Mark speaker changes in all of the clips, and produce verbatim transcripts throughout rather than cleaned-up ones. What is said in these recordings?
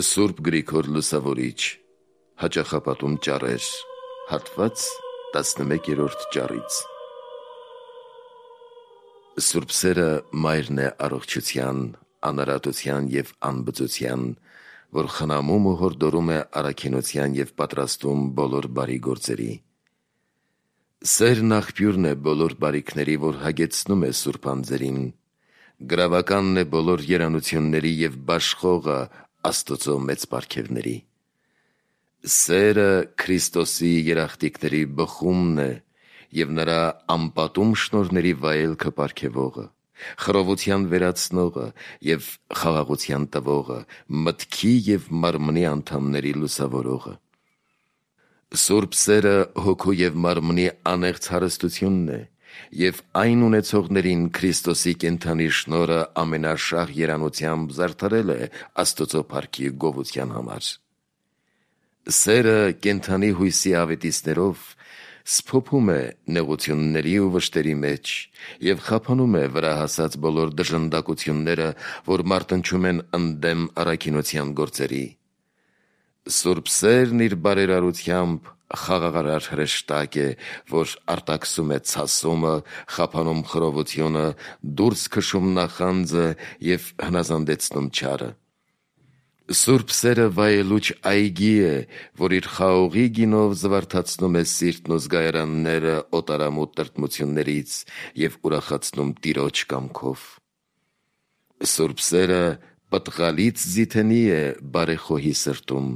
Speaker 1: Սուրբ Գրիգոր Լուսավորիչ, Հաճախապատում ճառեր, հատված տասնմեկերորդ ճառից։ Սուրբ սերը մայրն է առողջության, անարատության և անբծության, որ խնամում ու հորդորում է առաքինության և պատրաստում բոլոր բարի գործերի։ Սերն աղբյուրն է բոլոր բարիքների, որ հագեցնում է սուրբ անձերին, գրավականն է բոլոր երանությունների և բաշխողը Աստծո մեծ պարգևների։ Սերը Քրիստոսի երախտիկների բխումն է և նրա անպատում շնորհների վայելքը պարգևողը, խռովության վերացնողը և խաղաղության տվողը, մտքի և մարմնի անդամների լուսավորողը։ Սուրբ սերը հոգու և մարմնի անեղծ հարստությունն է և այն ունեցողներին Քրիստոսի կենդանի շնորհը ամենաշահ երանությամբ զարդարել է Աստծո փառքի գովության համար։ Սերը կենդանի հույսի ավետիցներով սփոփում է նեղությունների ու վշտերի մեջ և խափանում է վրա հասած բոլոր դժնդակությունները, որ մարտնչում են ընդդեմ առաքինության գործերի։ Սուրբ սերն իր բարերարությամբ խաղաղարար հրեշտակ է, որ արտաքսում է ցասումը, խափանում խռովությունը, դուրս քշում նախանձը և հնազանդեցնում չարը։ Սուրբ սերը վայելուչ այգի է, որ իր խաղողի գինով զվարթացնում է սիրտն ու զգայարանները օտարամուտ տրտմություններից և ուրախացնում Տիրոջ կամքով։ Սուրբ սերը պտղալից ձիթենի է բարեխոհի սրտում,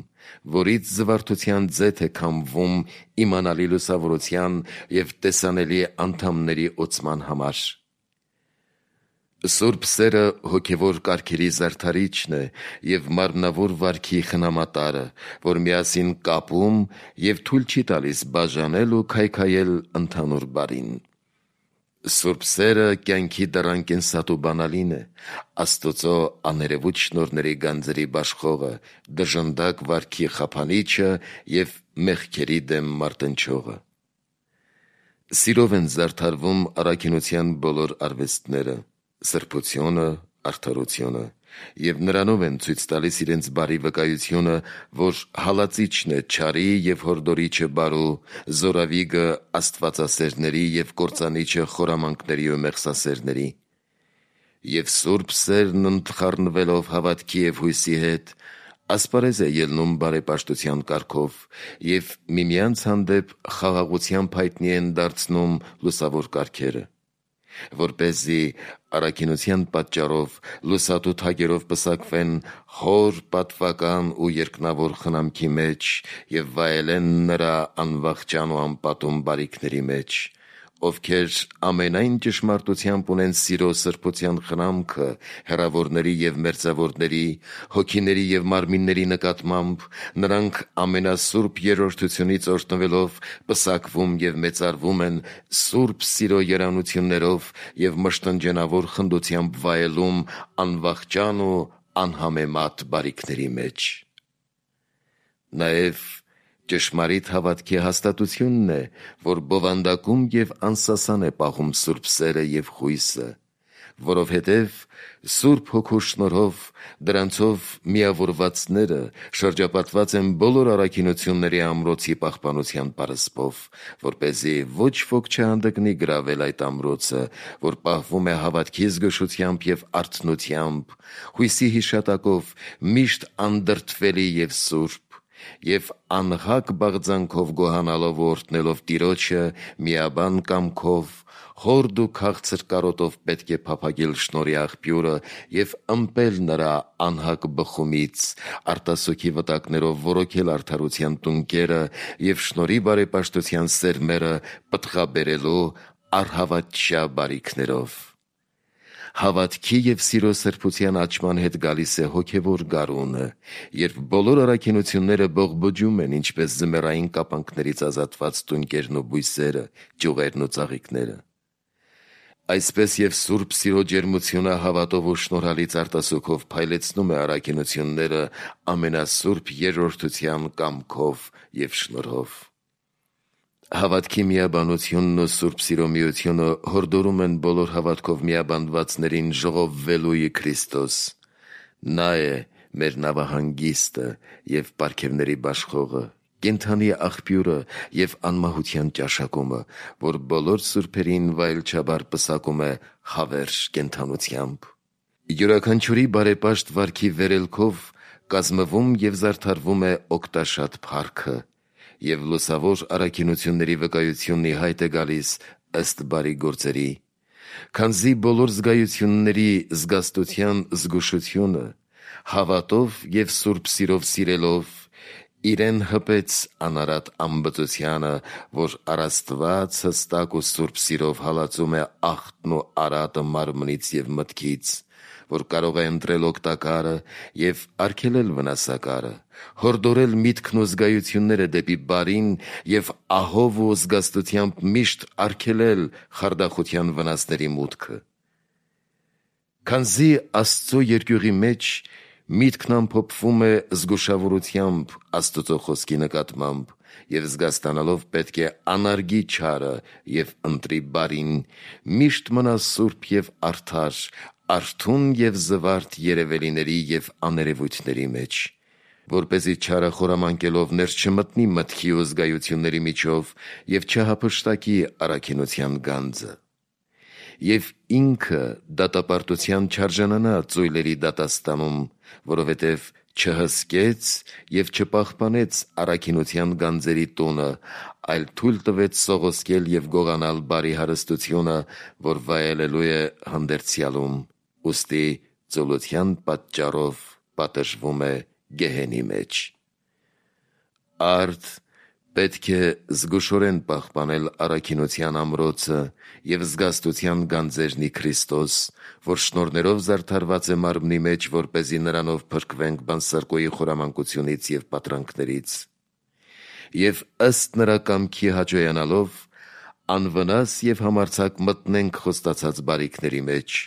Speaker 1: որից զվարթության ձեթ է քամվում իմանալի լուսավորության և տեսանելի անդամների օծման համար։ Սուրբ սերը հոգևոր կարգերի զարդարիչն է և մարմնավոր վարքի խնամատարը, որ միասին կապում և թույլ չի տալիս բաժանել ու քայքայել ընդհանուր բարին։ Սուրբ սերը կյանքի դռան կենսատու բանալին է, Աստծո աներևույթ շնորհների գանձերի բաշխողը, դժնդակ վարքի խափանիչը և մեղքերի դեմ մարտնչողը։ Սիրով են զարդարվում առաքինության բոլոր արվեստները, սրբությունը, արդարությունը, և նրանով են ցույց տալիս իրենց բարի վկայությունը, որ հալածիչն է չարի և հորդորիչը բարու, զորավիգը աստվածասերների և կործանիչը խորամանկների ու մեղսասերների։ Եվ սուրբ սերն ընդխառնվելով հավատքի և հույսի հետ, ասպարեզ է ելնում բարեպաշտության կարգով և միմյանց հանդեպ խաղաղությամբ հայտնի են դարձնում լուսավոր կարգերը, որպեսզի առաքինության պատճառով լուսատու թագերով պսակվեն խոր, պատվական ու երկնավոր խնամքի մեջ և վայելեն նրա անվախճան ու անպատում բարիքների մեջ, ովքեր ամենայն ճշմարտությամբ ունեն սիրո սրբության խնամքը հեռավորների և մերձավորների, հոգիների և մարմինների նկատմամբ, նրանք ամենասուրբ երրորդությունից օրհնվելով պսակվում և մեծարվում են սուրբ սիրո երանություններով և մշտնջենավոր խնդությամբ վայելում անվախճան ու անհամեմատ բարիքների մեջ։ Նաև ճշմարիտ հավատքի հաստատությունն է, որ բովանդակում և անսասան է պահում սուրբ սերը և հույսը, որովհետև Սուրբ Հոգու շնորհով դրանցով միավորվածները շրջապատված են բոլոր առաքինությունների ամրոցի պահպանության պարսպով, որպեսզի ոչ ոք չհանդգնի գրավել այդ ամրոցը, որ պահվում է հավատքի զգուշությամբ և արթնությամբ, հույսի հիշատակով միշտ անդրդվելի և սուրբ, և անհակ բաղձանքով գոհանալով ու օրհնելով Տիրոջը միաբան կամքով, խորդ ու քաղցր կարոտով պետք է փափագել շնորհի աղբյուրը և ըմպել նրա անհակ բխումից, արտասուքի վտակներով ոռոգել արդարության տունկերը և շնորհի բարեպաշտության սերմերը պտղաբերելու առհավատչյա բարիքներով։ Հավատքի և սիրո սրբության աճման հետ գալիս է հոգևոր գարունը, երբ բոլոր առաքինությունները բողբոջում են, ինչպես ձմեռային կապանքներից ազատված տունկերն ու բույսերը, ճյուղերն ու ծաղիկները։ Այսպես և սուրբ սիրո ջերմությունը հավատով ու շնորհալից արտասուքով փայլեցնում է առաքինությունները ամենասուրբ երրորդության կամքով և շնորհով։ Հավատքի միաբանությունն ու սուրբ սիրո միությունը հորդորում են բոլոր հավատքով միաբանվածներին ժողովվելու ի Քրիստոս։ Նա է մեր նավահանգիստը և պարգևների բաշխողը, կենդանի աղբյուրը և անմահության ճաշակումը, որ բոլոր սուրբերին վայելչաբար պսակում է հավերժ կենդանությամբ։ Յուրաքանչյուրի բարեպաշտ վարքի վերելքով կազմվում և զարդարվում է օգտաշատ փառքը, և լուսավոր առաքինությունների վկայությունն ի հայտ է գալիս ըստ բարի գործերի, քանզի բոլոր զգայությունների զգաստության զգուշությունը հավատով և սուրբ սիրով սիրելով իրեն հպեց անարատ ամբծությանը, որ առ Աստված հստակ ու սուրբ սիրով հալածում է ախտն ու արատը մարմնից և մտքից, որ կարող է ընտրել օգտակարը և արգելել վնասակարը, հորդորել միտքն ու զգայությունները դեպի բարին և ահով ու զգաստությամբ միշտ արգելել խարդախության վնասների մուտքը։ Քանզի Աստծո երկյուղի մեջ միտքն ամփոփվում է զգուշավորությամբ Աստուծո խոսքի նկատմամբ և զգաստանալով պետք է անարգի չարը և ընտրի բարին, միշտ մնա սուրբ և արդար, արթուն և զվարթ երևելիների և աներևույթների մեջ, որպեսզի չարը խորամանկելով ներս չմտնի մտքի ու զգայությունների միջով և չհափշտակի առաքինության գանձը, և ինքը դատապարտության չարժանանա ծույլերի դատաստանում, որովհետև չհսկեց և չպահպանեց առաքինության գանձերի տունը, այլ թույլ տվեց սողոսկել և գողանալ բարի հարստությունը, որ վայելելու է հանդերձյալում, ուստի ծուլության պատճառով պատժվում է գեհենի մեջ։ Արդ պետք է զգուշորեն պահպանել առաքինության ամրոցը և զգաստության գանձերն ի Քրիստոս, որ շնորհներով զարդարված է մարմնի մեջ, որպեսզի նրանով փրկվենք բանսարկոյի խորամանկությունից և պատրանքներից, և ըստ նրա կամքի հաճոյանալով անվնաս և համարձակ մտնենք խոստացած բարիքների մեջ,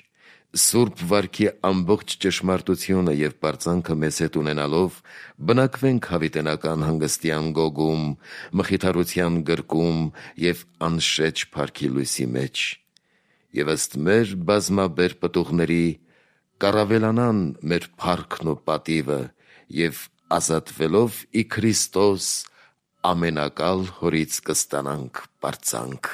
Speaker 1: սուրբ վարքի ամբողջ ճշմարտությունը և պարծանքը մեզ հետ ունենալով բնակվենք հավիտենական հանգստյան գոգում, մխիթարության գրկում և անշեջ փառքի լույսի մեջ, և ըստ մեր բազմաբեր պտուղների կառավելանան մեր փառքն ու պատիվը, և ազատվելով ի Քրիստոս ամենակալ Հորից կստանանք պարծանք։